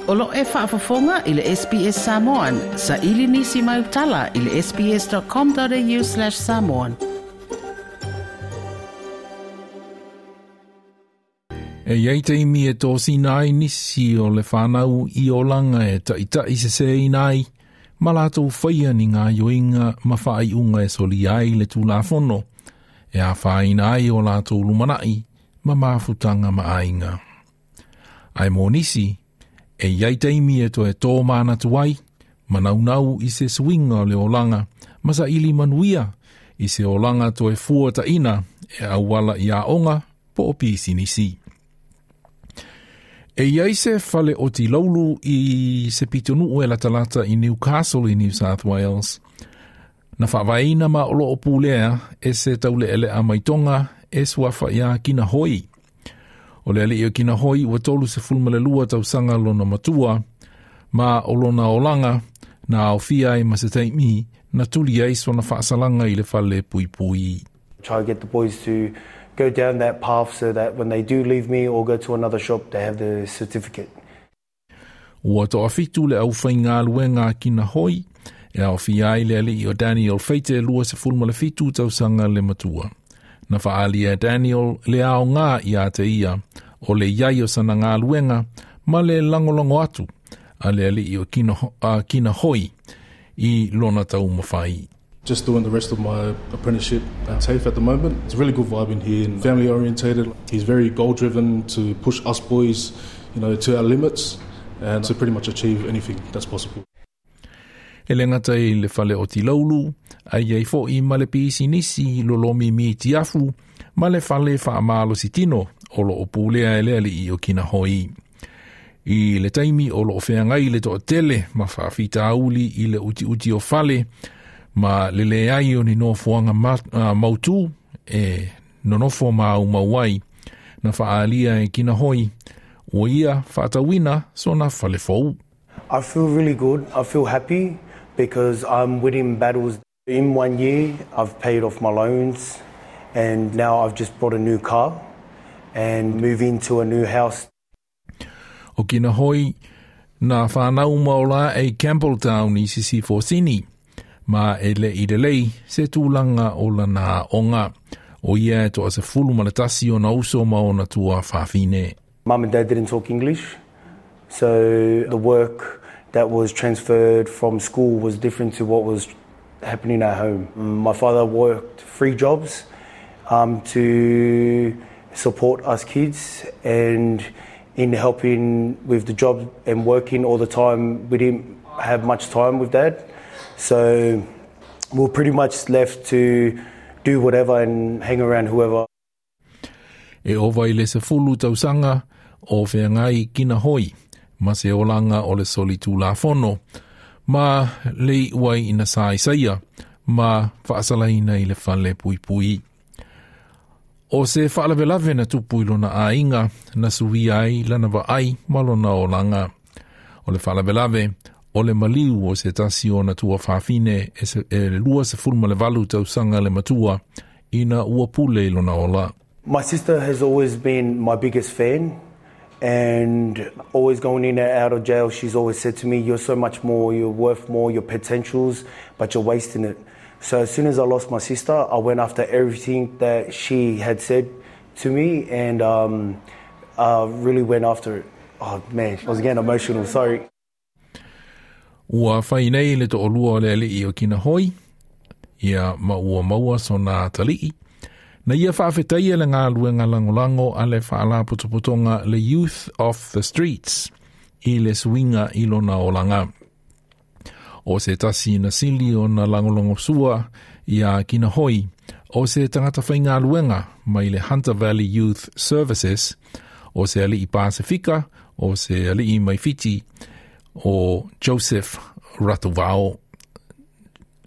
O lo o e faafofoga i le SBS Samoan. Saili nisi mau tala i le sbs.com.au/samoan. E iai taimi e tosina ai nisi o le whanau i olanga e ta'ita'i seseina ai, ma latou faia ni gaoioiga ma faaiuga e solia ai le tulafono, e afaina ai o latou lumana'i ma mafutaga ma aiga. Ae mo nisi, e iai taimi e toe tōmanatu ai, ma naunau i se suiga o le olaga ma saili manuia i se olaga toe fuataʻina e auala i aoga po o pisinisi. E iai se fale oti laulu i se pitonuu e latalata i Newcastle i New South Wales. Na faavaeina ma o loo pulea e se taulealea mai Tonga e suafa ia Kinahoi. O le alii o Kinahoi ua 32 tausaga lona matua, ma o lona olaga na aofia ai ma se taimi na tuli ai sona faasalaga i le fale puipui. Try to get the boys to go down that path so that when they do leave me or go to another shop, they have the certificate. Ua toafitu le aufaigaluega a Kinahoi, e aofia ai le alii o Daniel Feite 27 tausaga le matua. Na faaalia e Daniel le aoga ia te ia o le iai o sana galuega ma le lagolago atu a le alii o Kinahoi i lona taumafai. Just doing the rest of my apprenticeship at TAFE at the moment. It's a really good vibe in here and family orientated. He's very goal driven to push us boys to our limits and to pretty much achieve anything that's possible. E le gata i le fale oti laulu, ae iai foʻi ma le pisinisi lolomi miti afu ma le fale faamalositino o loo pulea e le alii o Kinahoi. I le taimi o loo feagai le toatele ma faafitauli i le utiuti o fale ma le leai o ni nofoaga mautū e nonofo maumau ai, na faaalia e Kinahoi ua ia faatauina sona fale fou. I feel really good. I feel happy because I'm winning battles. In one year, I've paid off my loans and now I've just bought a new car and move into a new house. O Kinahoi na whanau maola e Campbelltown i Sisifo Sini, ma e le i lelei se tulaga o lana aoga. O ia e 11 ona uso ma ona tuafafine. Mum and Dad didn't talk English, so the work that was transferred from school was different to what was happening at home. My father worked 3 jobs to support us kids, and in helping with the job and working all the time, we didn't have much time with Dad. So we were pretty much left to do whatever and hang around whoever. E ova i le 10 tausaga o feagai Kinahoi ma se olaga o le solitulafono ma le iu ai ina saisaia ma faasalaina i le fale puipui. O se faalavelave na tupu i lona aiga na suia ai lana vaai ma lona olaga. O le faalavelave o le maliu o se tasi o ona tuafafine e 28 tausaga le matua ina ua pule i lona ola. My sister has always been my biggest fan, and always going in and out of jail, she's always said to me, you're so much more, you're worth more, your potentials, but you're wasting it. So as soon as I lost my sister, I went after everything that she had said to me, and I really went after it. Oh man, I was getting emotional, sorry. Ua fai nei le toalua o le alii o Kinahoi, ia ma ua maua sona atalii. Na ia faafetaia le galuega lagolago a le faalapotopotoga le Youth Off the Streets i le suiga i lona olaga. O se tasi na sili ona lagolagosua ia Kinahoi o se tagata faigaluega mai le Hunter Valley Youth Services, o se alii Pasifika, o se alii mai Fiti, o Joseph Ratuvao,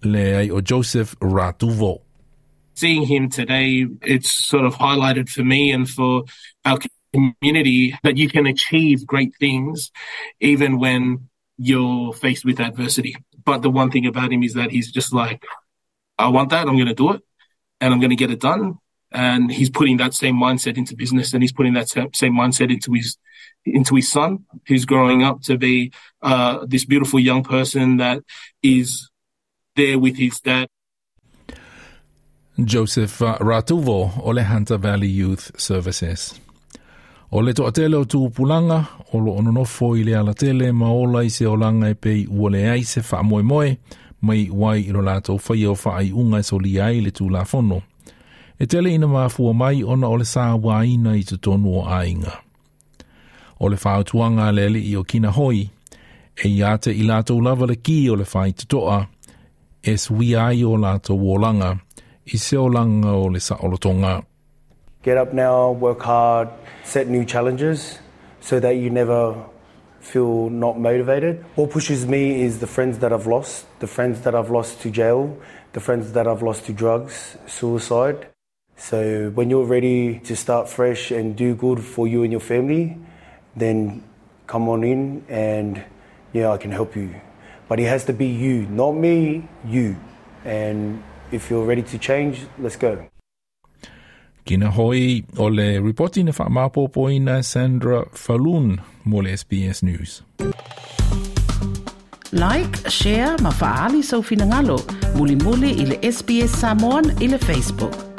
le ai o Joseph Ratuvo. Seeing him today, it's sort of highlighted for me and for our community that you can achieve great things even when you're faced with adversity. But the one thing about him is that he's just like, I want that, I'm going to do it, and I'm going to get it done. And he's putting that same mindset into business and he's putting that same mindset into his into his son, who's growing up to be this beautiful young person that is there with his dad. Joseph Ratuvo o le Hunter Valley Youth Services. O le toatele o tupulaga o lo o nonofo i le alatele ma ola i se olaga e pei ua leai se faamoemoe ma iu ai i lo latou faia o faaiuga e solia ai le tulafono. E tele ina mafua mai ona o le sauaina i totonu o aiga. O le fautuaga a le alii o Kinahoi, e ia te i latou lava le ki o le faitotoa, e suia ai o latou olaga i se olaga o le saolotoga. Get up now, work hard, set new challenges so that you never feel not motivated. What pushes me is the friends that I've lost, the friends that I've lost to jail, the friends that I've lost to drugs, suicide. So when you're ready to start fresh and do good for you and your family, then come on in and yeah, I can help you. But it has to be you, not me, you. And if you're ready to change, let's go. Kinahoi o le ripoti na faamaopoopoina Sandra Falloon mo le SBS News. Like, share ma faaali sou finagalo. Mulimuli i le SBS Samoan i le Facebook.